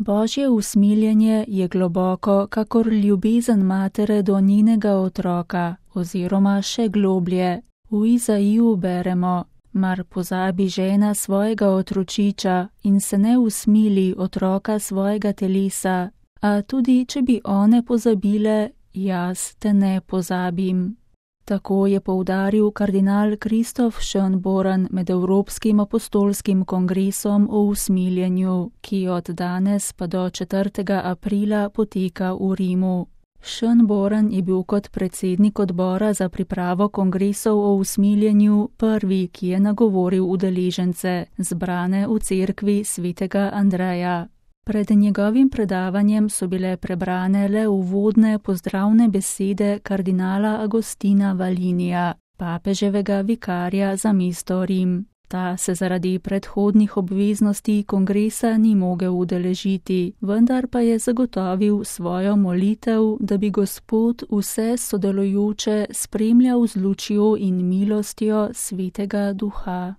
Božje usmiljenje je globoko, kakor ljubezen matere do njenega otroka, oziroma še globlje. V Izaiju beremo: mar pozabi žena svojega otročiča in se ne usmili otroka svojega telesa, a tudi če bi one pozabile, jaz te ne pozabim. Tako je poudaril kardinal Kristof Schönborn med Evropskim apostolskim kongresom o usmiljenju, ki od danes pa do 4. aprila poteka v Rimu. Schönborn je bil kot predsednik odbora za pripravo kongresov o usmiljenju prvi, ki je nagovoril udeležence, zbrane v cerkvi svetega Andreja. Pred njegovim predavanjem so bile prebrane le uvodne pozdravne besede kardinala Agostina Valinija, papeževega vikarja za mesto Rim. Ta se zaradi predhodnih obveznosti kongresa ni mogel udeležiti, vendar pa je zagotovil svojo molitev, da bi Gospod vse sodelujoče spremljal z lučjo in milostjo Svetega Duha.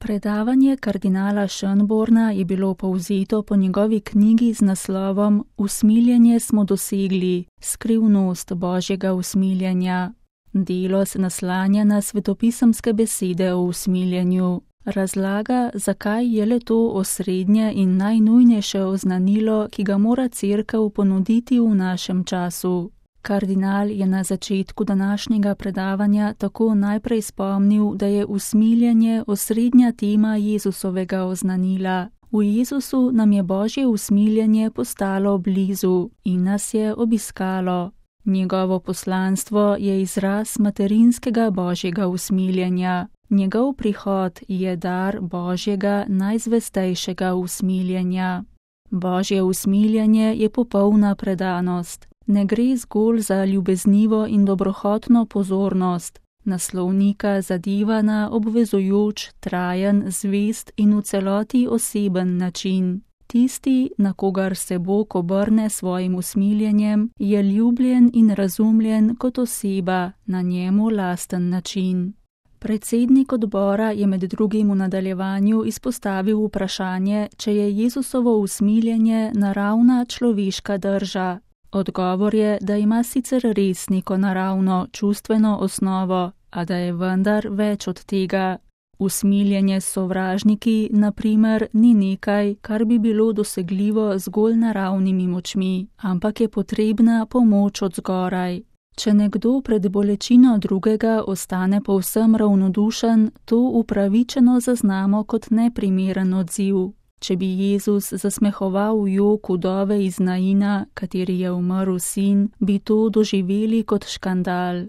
Predavanje kardinala Schönborna je bilo povzeto po njegovi knjigi z naslovom Usmiljenje smo dosegli, skrivnost Božjega usmiljenja. Delo se naslanja na svetopisemske besede o usmiljenju. Razlaga, zakaj je le to osrednje in najnujnejše oznanilo, ki ga mora cerkev ponuditi v našem času. Kardinal je na začetku današnjega predavanja tako najprej spomnil, da je usmiljenje osrednja tema Jezusovega oznanila. V Jezusu nam je Božje usmiljenje postalo blizu in nas je obiskalo. Njegovo poslanstvo je izraz materinskega Božjega usmiljenja. Njegov prihod je dar Božjega najzvestejšega usmiljenja. Božje usmiljenje je popolna predanost. Ne gre zgolj za ljubeznivo in dobrohotno pozornost, naslovnika zadeva na obvezujoč, trajen, zvest in v celoti oseben način. Tisti, na kogar se Bog obrne svojim usmiljenjem, je ljubljen in razumljen kot oseba na njemu lasten način. Predsednik odbora je med drugim v nadaljevanju izpostavil vprašanje, če je Jezusovo usmiljenje naravna človeška drža. Odgovor je, da ima sicer res neko naravno, čustveno osnovo, a da je vendar več od tega. Usmiljenje s sovražniki, na primer, ni nekaj, kar bi bilo dosegljivo zgolj naravnimi močmi, ampak je potrebna pomoč od zgoraj. Če nekdo pred bolečino drugega ostane povsem ravnodušen, to upravičeno zaznamo kot neprimeren odziv. Če bi Jezus zasmehoval jok vdove iz Naina, kateri je umrl sin, bi to doživeli kot škandal.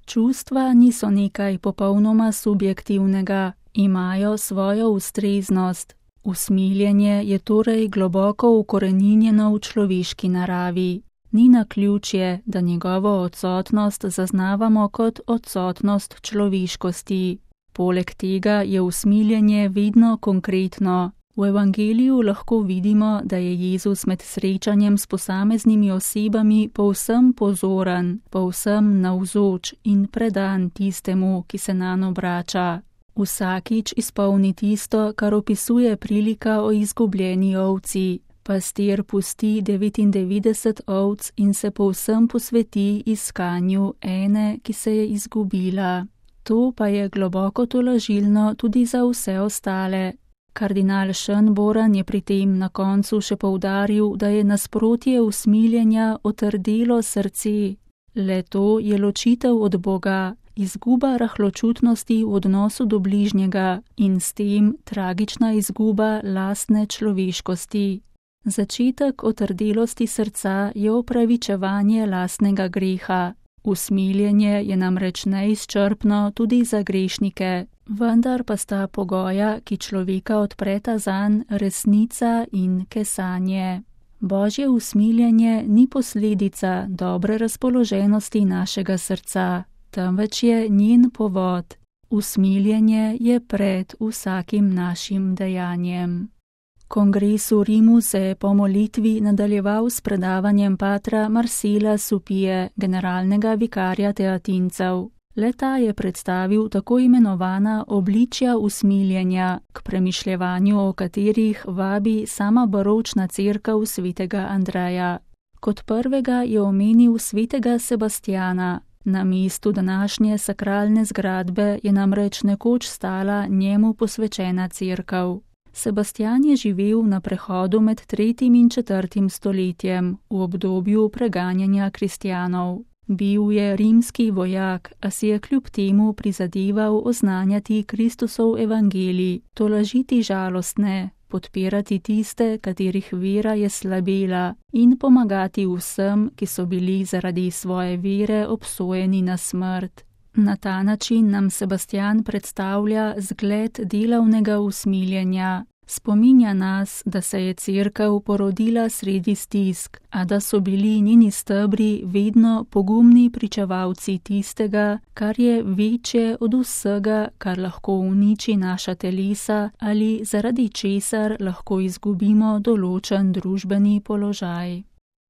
Čustva niso nekaj popolnoma subjektivnega, imajo svojo ustreznost. Usmiljenje je torej globoko ukoreninjeno v človeški naravi. Ni naključje, da njegovo odsotnost zaznavamo kot odsotnost človeškosti. Poleg tega je usmiljenje vedno konkretno. V evangeliju lahko vidimo, da je Jezus med srečanjem s posameznimi osebami povsem pozoren, povsem navzoč in predan tistemu, ki se nanj obrača. Vsakič izpolni tisto, kar opisuje prilika o izgubljeni ovci. Pastir pusti 99 ovc in se povsem posveti iskanju ene, ki se je izgubila. To pa je globoko tolažilno tudi za vse ostale. Kardinal Schönborn je pri tem na koncu še poudaril, da je nasprotje usmiljenja otrdelo srce. Le to je ločitev od Boga, izguba rahločutnosti v odnosu do bližnjega in s tem tragična izguba lastne človeškosti. Začetek otrdelosti srca je opravičevanje lastnega greha. Usmiljenje je namreč neizčrpno tudi za grešnike, vendar pa sta pogoja, ki človeka odpreta zanj, resnica in kesanje. Božje usmiljenje ni posledica dobre razpoloženosti našega srca, temveč je njen povod. Usmiljenje je pred vsakim našim dejanjem. Kongres v Rimu se je po molitvi nadaljeval s predavanjem patra Marcela Supije, generalnega vikarja Teatincev. Le-ta je predstavil tako imenovana obličja usmiljenja, k premišljevanju o katerih vabi sama baročna cerkev svetega Andreja. Kot prvega je omenil svetega Sebastjana. Na mestu današnje sakralne zgradbe je namreč nekoč stala njemu posvečena cerkev. Sebastjan je živel na prehodu med 3. in 4. stoletjem, v obdobju preganjanja kristjanov. Bil je rimski vojak, a si je kljub temu prizadeval oznanjati Kristusov evangelij, tolažiti žalostne, podpirati tiste, katerih vera je slabela, in pomagati vsem, ki so bili zaradi svoje vere obsojeni na smrt. Na ta način nam Sebastjan predstavlja zgled delavnega usmiljenja. Spominja nas, da se je cerkev porodila sredi stisk, a da so bili njeni stebri vedno pogumni pričevalci tistega, kar je večje od vsega, kar lahko uniči naša telesa ali zaradi česar lahko izgubimo določen družbeni položaj.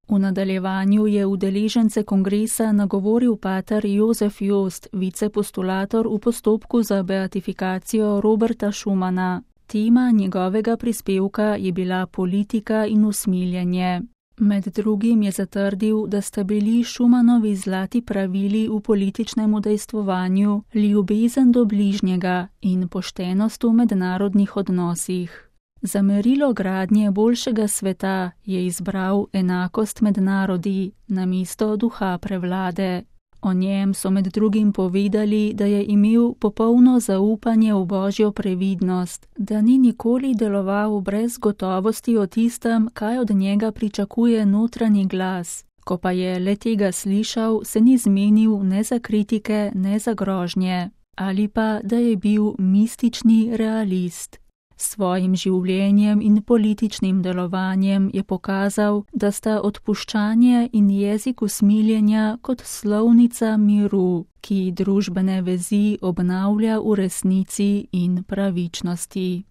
V nadaljevanju je udeležence kongresa nagovoril pater Jozef Jost, vicepostulator v postopku za beatifikacijo Roberta Schumana. Tema njegovega prispevka je bila politika in usmiljenje. Med drugim je zatrdil, da sta bili Schumanovi zlati pravili v političnem udejstvovanju ljubezen do bližnjega in poštenost v mednarodnih odnosih. Za merilo gradnje boljšega sveta je izbral enakost med narodi namesto duha prevlade. O njem so med drugim povedali, da je imel popolno zaupanje v Božjo previdnost, da ni nikoli deloval brez gotovosti o tistem, kaj od njega pričakuje notranji glas. Ko pa je le tega slišal, se ni zmenil ne za kritike, ne za grožnje, ali pa, da je bil mistični realist. S svojim življenjem in političnim delovanjem je pokazal, da sta odpuščanje in jezik usmiljenja kot slovnica miru, ki družbene vezi obnavlja v resnici in pravičnosti.